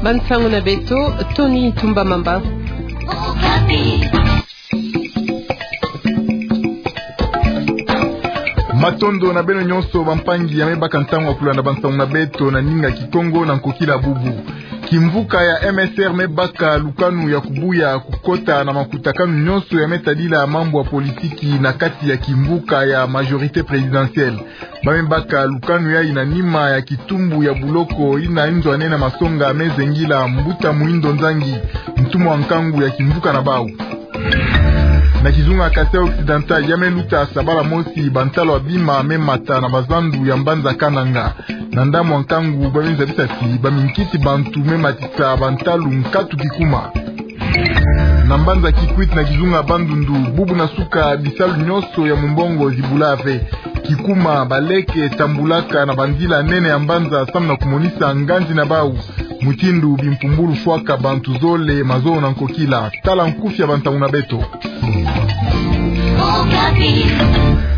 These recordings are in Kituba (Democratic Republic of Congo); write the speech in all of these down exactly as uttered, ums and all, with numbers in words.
Bansango na beto, Tony Tumba Mamba. Matondo na beno nyonso bampangi ya me baka ntangu ya kulanda bansango na beto na ndinga Kikongo na nkokila bubu. Kimvuka ya M S R me baka lukanu ya kubuya kukota na makutakanu nyonso ya me tadila mambu ya politiki na kati ya kimvuka ya majorité présidentielle. Ba me baka lukanu yayi na nima ya kitumbu ya buloko yina nzwanene na masonga me zengila Mbuta Muhindo Nzangi, ntumwa nkangu ya kimvuka na bawu. Na kizunga Kasaï Occidental, ya me luta sabala mosi bantalu ya bima me mata na bazandu ya mbanza Kananga. Na ndambu ya nkangu ba me zabisa ti ba minkisi bantu me matisa bantalu nkatu kikuma. Na mbanza Kikwit na kizunga Bandundu, bubu na suka bisalu nyonso ya mumbongo zibula ve. Kikuma, baleke tambulaka na banzila nene ya mbanza samu na kumonisa nganzi na bawu mutindu bimpumbulu fwaka bantu zole mazono na nkokila. Tala nkufi ya bansango na beto.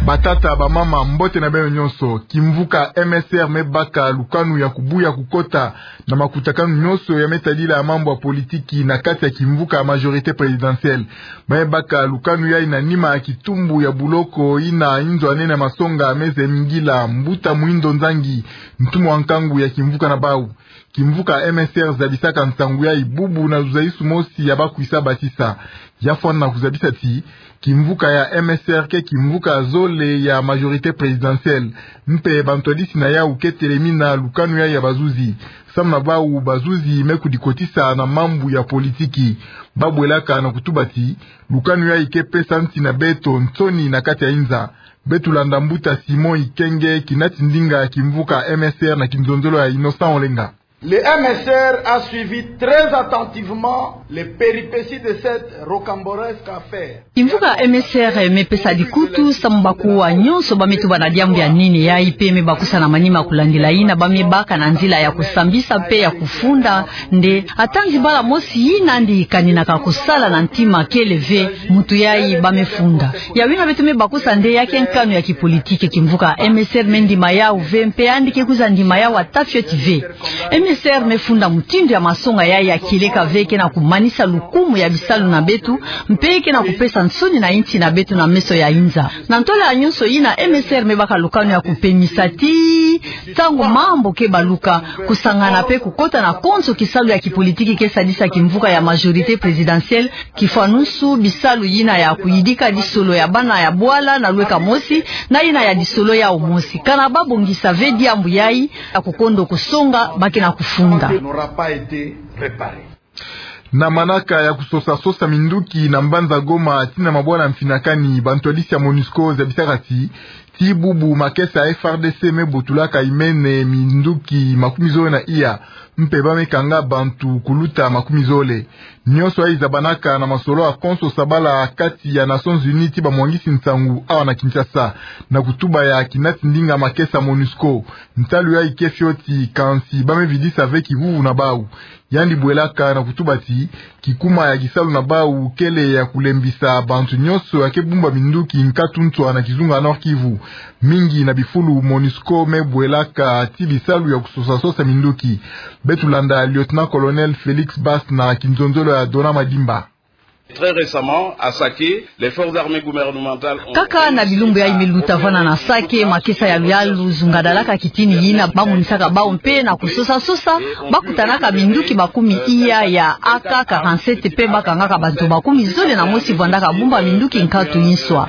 Batata, bamama, mbote na beno nyonso. Kimvuka M S R me baka lukanu ya kubuya kukota na makutakanu nyonso ya me tadila mambu ya politiki na kati ya kimvuka ya majorité présidentielle. Ba me baka lukanu yayi na nima ya kitumbu ya buloko yina nzwanene na masonga me zengila Mbuta Muhindo Nzangi, ntumwa nkangu ya kimvuka na bawu. Kimvuka M S R zabisaka nsangu yayi bubu na luzaisu mosi ya bakwisa basisa. Ya fwana na kuzabisa ti kimvuka ya M S R ke kimvuka zole ya majorité présidentielle. Mpe bantwadisi na yawu ke telemina lukanu yayi ya bazuzi. Samu na bawu, bazuzi me kudikotisa na mambu ya politiki. Ba bwelaka na kutuba ti lukanu yayi ke pesa nsi na beto nsoni na kati ya inza. Beto landa Mbuta Simon Ikenge, kinati ndinga ya kimvuka M S R na kinzonzolo ya Innocent Olenga. Le M S R a suivi très attentivement les péripéties de cette rocambolesque affaire. Kimvuka M S R me pesa dikutu samu bakuwa nyonso ba me tuba na diambu ya nene yayi mpe me bakusa na manima kulandila yina ba me baka na nzila ya kusambisa mpe ya kufunda nde. Ata nzibala mosi yina ndi kaninaka kusala na ntima kele ve muntu yayi ba me funda. Ya wina beto me bakusa nde ya ke nkanu ya kipolitiki. Kimvuka M S R me ndima yawu ve mpe yandi ke kwiza ndima yawu ata fioti ve. M S R me funda mutindu ya masonga yayi ya kieleka ve ke na kumanisa lukumu ya bisalu na beto, mpe ke na kupesa nsoni na insi na beto na meso ya inza. Na ntwala ya nyonso yina, M S R me baka lukanu ya kupemisa ti ntangu mambu ke baluka, kusangana mpe kukota na konso kisalu ya kipolitiki ke sadisa kimvuka ya majorité présidentielle, kifwanusu bisalu yina ya kuyidika disolo ya bana ya bwala na lweka mosi, na yina ya disolo yawu mosi. Kana ba bongisa ve diambu yayi, ya kukondo kusonga ba ke na kufunda. N'aura pas été réparé. Na manaka ya kusosa-sosa minduki na mbanza Goma tii na mabwana mfinakani, bantwadisi ya MONUSCO zabisaka ti, tii bubu makesa ya F R D C me botulaka imene minduki makumi zole na iya, mpe ba me kanga bantu kuluta makumi zole. Nyonso yayi zabanaka na masolo ya konso sabala kati ya Nations Unies tii bamwangisi nsangu awa na Kinshasa, na kutuba ya kinati ndinga makesa MONUSCO. Ntalu yayi ke fioti, kansi ba me vidisa ve kivuvu na bawu. Yandi bwelaka na kutuba ti, kikuma ya kisalu na bawu kele ya kulembisa bantu nyonso ya ke bumba minduki nkatu nswa na kizunga Nord-Kivu. Mingi na bifulu MONUSCO me bwelaka tii bisalu ya kusosa-sosa minduki. Beto landa Lieutenant-colonel Félix Basse na kinzonzolo ya Donat Madimba. Très récemment, à Sake, les forces armées gouvernementales ont... Kaka na bilumbu yayi me luta vana na Sake, makesa ya luyalu zungadalaka kitini yina ba monisaka bawu mpe na kusosa-sosa, ba kutanaka minduki makumi iya ya A K quarante-sept mpe ba kangaka bantu makumi zole na mosi vandaka bumba minduki nkatu nswa.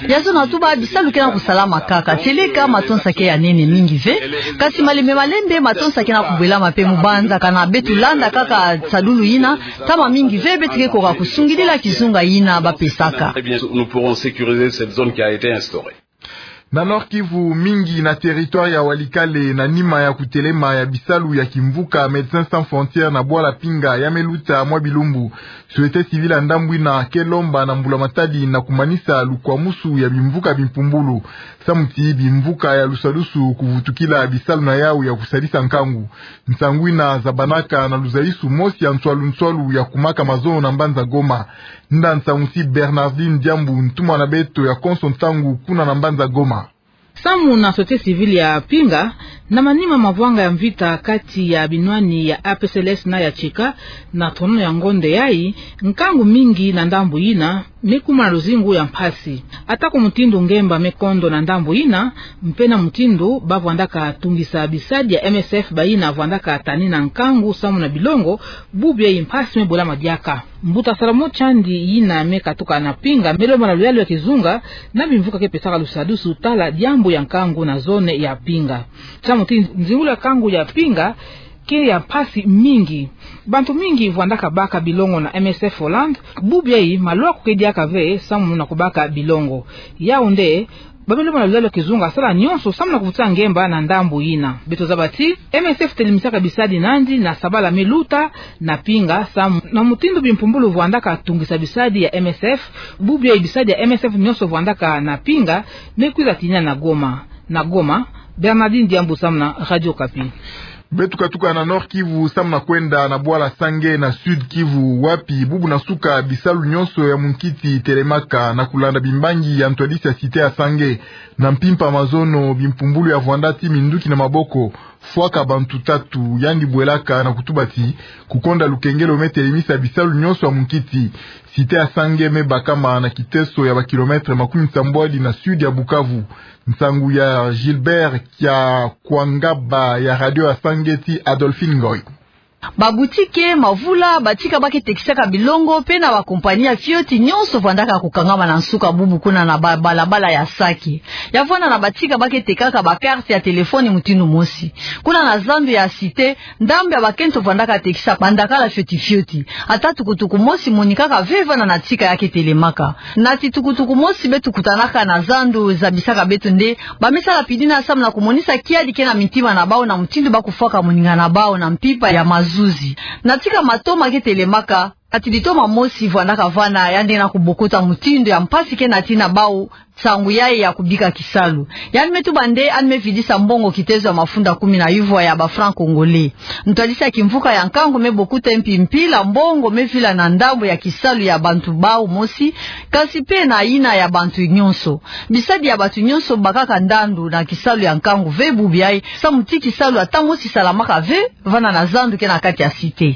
Ya zono tuba bisalu ke na kusalama kaka, tieleka matonsa ke ya nene mingi ve, kansi malembe malembe matonsa ke na kubwelama mpe mu banza. Kana beto landa kaka sadulu yina, ntama mingi ve beto ke koka kusungidila kizunga yina ba pesaka. Eh bien, nous pourrons sécuriser cette zone qui a été instaurée. Na Nord-Kivu, mingi na territoire ya Walikale, na nima ya kutelema ya bisalu ya kimvuka Médecins Sans Frontières na bwala Pinga ya me luta mwa bilumbu, société civile ya ndambu yina ke lomba na mbula matadi na kumanisa lukwamusu ya bimvuka bimpumbulu, samu ti bimvuka ya lusadusu kuvutukila bisalu na yawu ya kusadisa nkangu. Nsangu yina zabanaka na luzaisu mosi ya nswalu-nswalu ya kumaka mazono na mbanza Goma. Nda nsangu ti Bernardine Diambu, ntumwa na beto ya konso ntangu kuna na mbanza Goma. Samu na société civile ya Pinga, na manima ma mavwanga ya mvita kati ya binwani ya A P C L S na ya Tcheka, na tonono ya ngonde yayi, nkangu mingi na ndambu yina me kuma na luzingu ya mpasi. Atako mutindu ngemba me kondo na ndambu yina, mpe na mutindu ba vwandaka tungisa bisadi ya M S F bayina vwandaka tanina nkangu samu na bilongo, bubu yayi mpasi me bwela madiaka. Mbuta Salomon Tshandi yina me katuka na Pinga me lomba na luyalu ya kizunga, na bimvuka ke pesaka lusadusu tala diambu ya nkangu na zone ya Pinga. Samu ti nzingulu ya nkangu ya Pinga ke ya mpasi mingi. Bantu mingi vwandaka baka bilongo na M S F Holland, bubu yayi malwaku ke diaka ve samu na kubaka bilongo. Yau nde, ba me lomba na luyalu ya kizunga asala nyonso samu na kuvutusa ngemba na ndambu yina. Beto zaba ti M S F telemisaka bisadi nandi na sabala me luta na Pinga samu na mutindu bimpumbulu vwandaka tungisa bisadi ya M S F, bubu yayi bisadi ya M S F nyonso vwandaka na Pinga me kwiza tinina na Goma. Na Goma, Bernardine Diambu samu na Radio Okapi. Beto katuka na Nord-Kivu samu na kwenda na bwala Sange na Sud-Kivu, wapi bubu na suka bisalu nyonso ya munkiti telemaka na kulanda bimbangi ya ntwadisi ya cité ya Sange. Na mpimpa mazono, bimpumbulu ya vwanda ti minduki na maboko, fwaka bantu tatu, yandi bwelaka na kutuba ti kukonda lukengelo me telemisa bisalu nyonso ya munkiti. Cité ya Sange me bakama na kiteso ya ba kilomètre makumi nsambwadi na sud ya Bukavu. Nsangu ya Gilbert Kiakwangaba ya Radio ya Sange ti Adolphine Ngoy. Ba boutique, mavula, batika ba ke tekisaka bilongo, mpe na ba compagnie ya fioti nyonso vwandaka kukangama na nsuka bubu kuna na ba-, balabala ya Sake. Ya vwanda na batika ba ke tekaka ba carte ya téléphone mutindu mosi. Kuna na zandu ya cité, ndambu ya bakento vwandaka tekisa bandakala fioti fioti. Ata tukutuku mosi monikaka ve vwanda na tika ya ke telemaka. Na ti tukutuku mosi beto kutanaka na zandu zabisaka beto nde ba me sala pidina samu na kumonisa kiadi ke na mintima na bawu na mutindu ba kufwaka moninga na bawu na mpimpa ya mazuzi. Na tika matoma ke telemaka, na ti litoma mosi vwandaka vwanda, yandi na kubokota mutindu ya mpasi ke na tina bawu nsangu yayi ya kubika kisalu. Yandi me tuba nde yandi me vidisa mbongo kitezo ya mafunda kumi na yuvwa ya ba francs congolais. Ntwadisi ya kimvuka ya nkangu me bokuta mpi mpila mbongo me vila na ndambu ya kisalu ya bantu bawu mosi, kasi mpe na yina ya bantu nyonso. Bisadi ya bantu nyonso bakaka ndandu na kisalu ya nkangu ve bubu yayi, samu ti kisalu ata mosi salamaka ve vwanda na zandu ke na kati ya cité.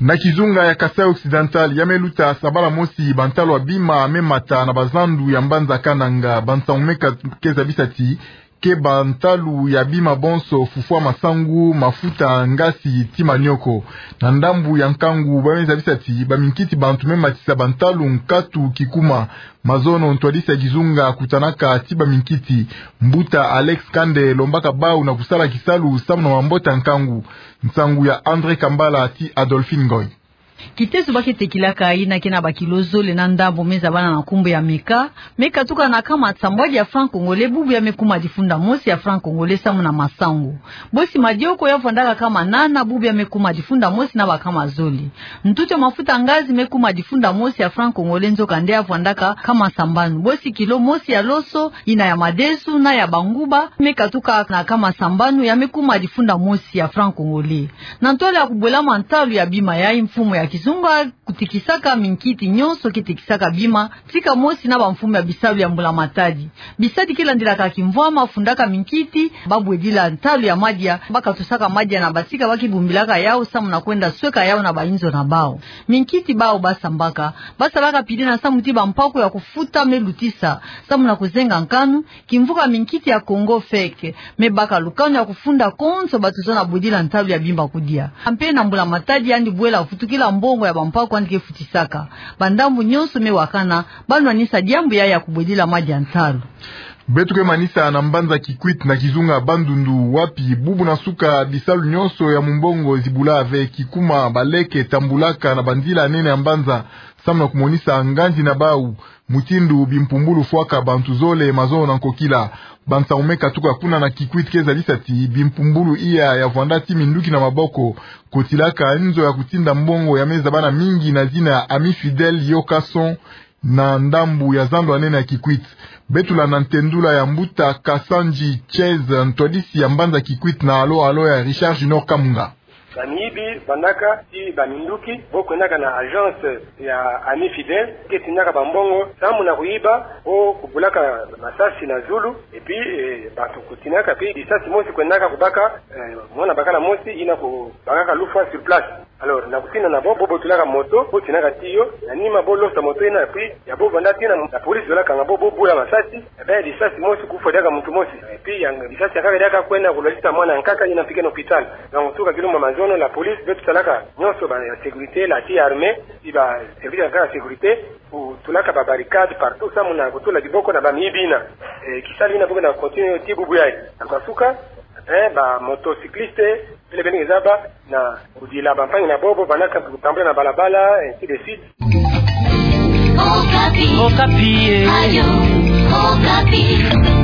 Na kizunga ya Kasaï Occidental, ya me luta sabala mosi, bantalu ya bima me mata na bazandu ya mbanza Kananga. Bansangu me ka-, ke zabisa ti ke bantalu ya bima bonso, fufwa masangu, mafuta, ngasi, ti manioko. Na ndambu ya nkangu, ba me zabisa ti baminkiti bantu me matisa bantalu nkatu kikuma. Mazono ntwadisi ya kizunga kutanaka ti baminkiti, mbuta Alex Kande, lombaka bawu na kusala kisalu samu na mambota nkangu. Nsangu ya André Kambala ti Adolphine Ngoy. Kitezo ba ke tekilaka, yina ke na ba kilo zole na ndambu, me zabana na nkumbu ya meka, me katuka na nkama nsambwadi ya franc congolais, bubu yayi me kuma difunda mosi ya franc congolais samu na masangu. Bosi madioko ya vwandaka nkama nana, bubu yayi me kuma difunda mosi na bankama zole. Ntutu ya mafuta ngazi me kuma difunda mosi ya franc congolais, nzokande ya vwandaka nkama sambanu. Bosi kilo mosi ya loso, yina ya madesu na ya banguba, me katuka na nkama sambanu, ya me kuma difunda mosi ya franc congolais. Na ntwala ya kubwelama ntalu ya bima yayi, mfumu ya kizunga kutikisaka minkiti nyonso ke tekisaka bima, tika mosi na bamfumu ya bisalu ya mbula matadi. Bisadi ke landilaka kimvwama, fundaka minkiti, ba bwedila ntalu ya madia, ba katusaka madia na batika ba ke bumbilaka yawu samu na kwenda sweka yawu na bayinzo na bawu. Minkiti bawu ba sambaka, ba salaka pidina samu ti bampaku ya kufuta me lutisa, samu na kuzenga nkanu, kimvuka minkiti ya Congo feke, me baka lukanu ya kufunda konso bato zona bwedila ntalu ya bima kudia. Mpe na mbula matadi yandi bwela vutukila mbongo ya bampaku yandi ke futisaka. Bandambu nyonso me wakana, ba nwanisa diambu yayi ya kubwedila madia ntalu. Beto ke manisa na mbanza Kikwit na kizunga Bandundu, wapi bubu na suka bisalu nyonso ya mumbongo zibula ve, kikuma, baleke, tambulaka na banzila nene ya mbanza, samu na kumonisa nganzi na bawu, mutindu bimpumbulu fwaka bantu zole mazono na nkokila. Bansangu me katuka kuna na Kikwit ke zabisa ti bimpumbulu iya ya vwanda ti minduki na maboko, kotilaka nzo ya kutinda mbongo ya me zabana mingi na zina ya Ami Fidèle Yokason, na ndambu ya zando ya nene ya Kikwit. Beto landa ntendula ya mbuta Kasanji Chez, ntwadisi ya mbanza Kikwit, na alo alo ya Richard Junior Kamunga. Bamiyibi vandaka ti baminduki, bo kwendaka na agence ya Ami Fidèle, ke tinaka bambongo, samu na kuyiba, bo kubulaka masasi na zulu, et puis, eh, bantu kutinaka, puis lisasi mosi kwendaka kubaka, eh, mwana bakala mosi, yina kubakaka lufwa sur place. Alors, na kutina na bo, bo botulaka moto, bo tinaka tiyo, na nima bo losa moto yina, et puis, ya bo vanda tina, la police zola kanga bo, bo bula masasi, eh ben, lisasi mosi kufwa diaka muntu mosi. Et puis, ya, lisasi yankaka diaka kwenda kulwazisa mwana yankaka yina mpike na hôpital. Donc, tuka kilumbu ya mazono, la police, beto salaka nyonso ba, ya sécurité, la ti armée, ti ba service yankaka ya sécurité, kutulaka ba barricade partout, samu na kutula diboko na bamiyibi yina. Eh, kisalu yina bo ke na continuer ti bubu yayi. Na kasuka, eh, ba motocycliste, bele bele ngezaba, na kudila bampangi na bobo, vandaka kutambula na balabala, ainsi de suite. Okapi. Okapi, eh. Ayo, Okapi.